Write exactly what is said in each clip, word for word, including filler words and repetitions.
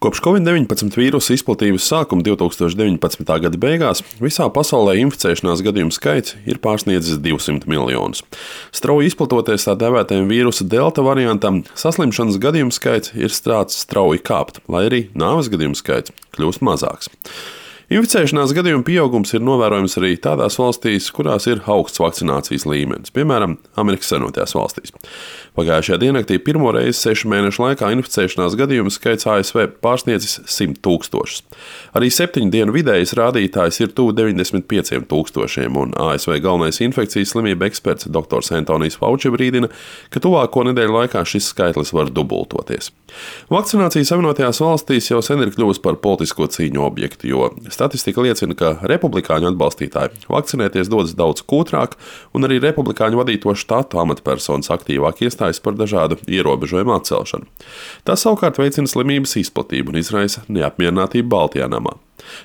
Kopš covid deviņpadsmit vīrusa izplatības sākuma divtūkstoš deviņpadsmitā gada beigās visā pasaulē inficēšanās gadījumu skaits ir pārsniedzis divsimt miljonus. Strauji izplatoties tā dēvētajam vīrusa delta variantam, saslimšanas gadījumu skaits ir sācis strauji kāpt, lai arī nāves gadījumu skaits kļūst mazāks. Inficēšanās gadījumu pieaugums ir novērojams arī tādās valstīs, kurās ir augsts vakcinācijas līmenis, piemēram, Amerikas Savienotajās valstīs. Pagājušajā diennaktī pirmo reizi sešu mēnešu laikā inficēšanās gadījumu skaits A S V pārsniedzis simt tūkstošus. Arī septiņu dienu vidējais rādītājs ir tuvu deviņdesmit pieciem tūkstošiem, un A S V galvenais infekcijas slimību eksperts doktors Antonijs Fauči brīdina, ka tuvāko nedēļu laikā šis skaitlis var dubultoties. Vakcinācija Savienotajās valstīs jau sen ir kļuvusi par politisko cīņu objektu, jo statistika liecina, ka republikāņu atbalstītāji vakcinēties dodas daudz kūtrāk, un arī republikāņu vadīto štatu amatpersonas aktīvāk iestājas par dažādu ierobežojumu atcelšanu. Tas savukārt veicina slimības izplatību un izraisa neapmierinātību Baltijā namā.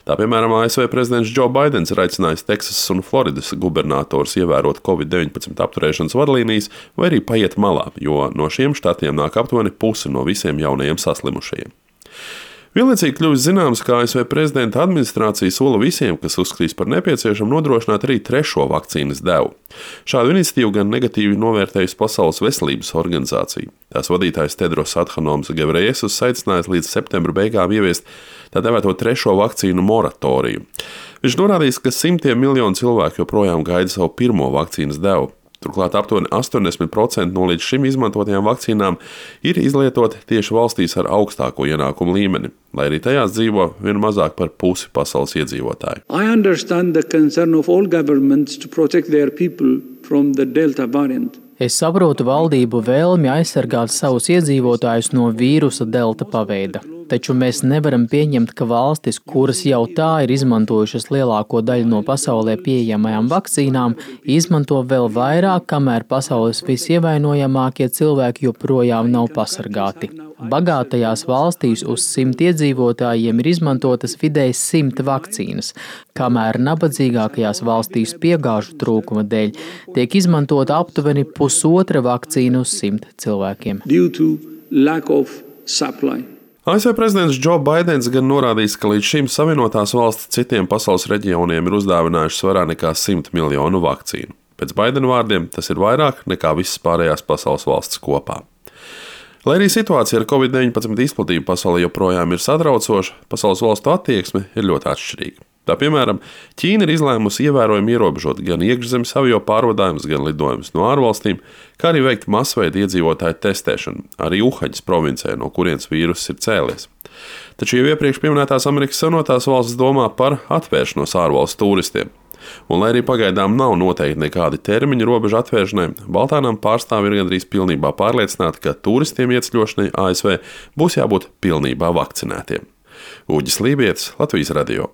Tā piemēram, A S V prezidents Džo Baidens ir aicinājis Teksasas un Floridas gubernatorus ievērot covid deviņpadsmit apturēšanas vadlīnijas vai arī paiet malā, jo no šiem štatiem nāk aptuveni pusi no visiem jaunajiem saslimušajiem. Vienlaicīgi kļuvis zināms, ka A S V prezidenta administrācija sola visiem, kas uzskatīs par nepieciešamu, nodrošināt arī trešo vakcīnas devu. Šādu iniciatīvu gan negatīvi novērtējusi Pasaules veselības organizācija. Tās vadītājs Tedros Adhanoms Gebreyesus aicinājis līdz septembra beigām ieviest tā dēvēto trešo vakcīnu moratoriju. Viņš norādījis, ka simtiem miljonu cilvēku joprojām gaida savu pirmo vakcīnas devu. Turklāt aptuveni astoņdesmit procenti no līdz šim izmantotajām vakcīnām ir izlietoti tieši valstīs ar augstāko ienākumu līmeni, lai arī tajās dzīvo vien mazāk par pusi pasaules iedzīvotāju. I understand the concern of all governments to protect their people from the Delta variant. Es saprotu valdību vēlmi aizsargāt savus iedzīvotājus no vīrusa delta paveida. Taču mēs nevaram pieņemt, ka valstis, kuras jau tā ir izmantojušas lielāko daļu no pasaulē pieejamajām vakcīnām, izmanto vēl vairāk, kamēr pasaules visievainojamākie cilvēki joprojām nav pasargāti. Bagātajās valstīs uz simt iedzīvotājiem ir izmantotas vidēji simt vakcīnas, kamēr nabadzīgākajās valstīs piegāžu trūkuma dēļ tiek izmantota aptuveni pusotra vakcīna uz simt cilvēkiem. Due to lack of supply. A S V prezidents Džo Baidens gan norādījis, ka līdz šim Savienotās valstis citiem pasaules reģioniem ir uzdāvinājušas vairāk nekā simt miljonu vakcīnu. Pēc Baidena vārdiem tas ir vairāk nekā visas pārējās pasaules valstis kopā. Lai arī situācija ar covid deviņpadsmit izplatību pasaulē joprojām ir satraucoša, pasaules valstu attieksme ir ļoti atšķirīga. Tā piemēram, Ķīna ir izlēmusi ievērojami ierobežot gan iekšzemes avio pārvadājumus, gan lidojumus no ārvalstīm, kā arī veikt masveida iedzīvotāju testēšanu, arī Uhaņas provincē, no kurienes vīruss ir cēlies. Taču jau iepriekš pieminētās Amerikas Savienotās valstis domā par atvēršanos ārvalstu turistiem. Un, lai arī pagaidām nav noteikti nekādi termiņi robežu atvēršanai, Baltānam pārstāvi ir gandrīz pilnībā pārliecināti, ka turistiem ieceļošanai A S V būs jābūt pilnībā vakcinētiem. Uģis Lībietis, Latvijas radio.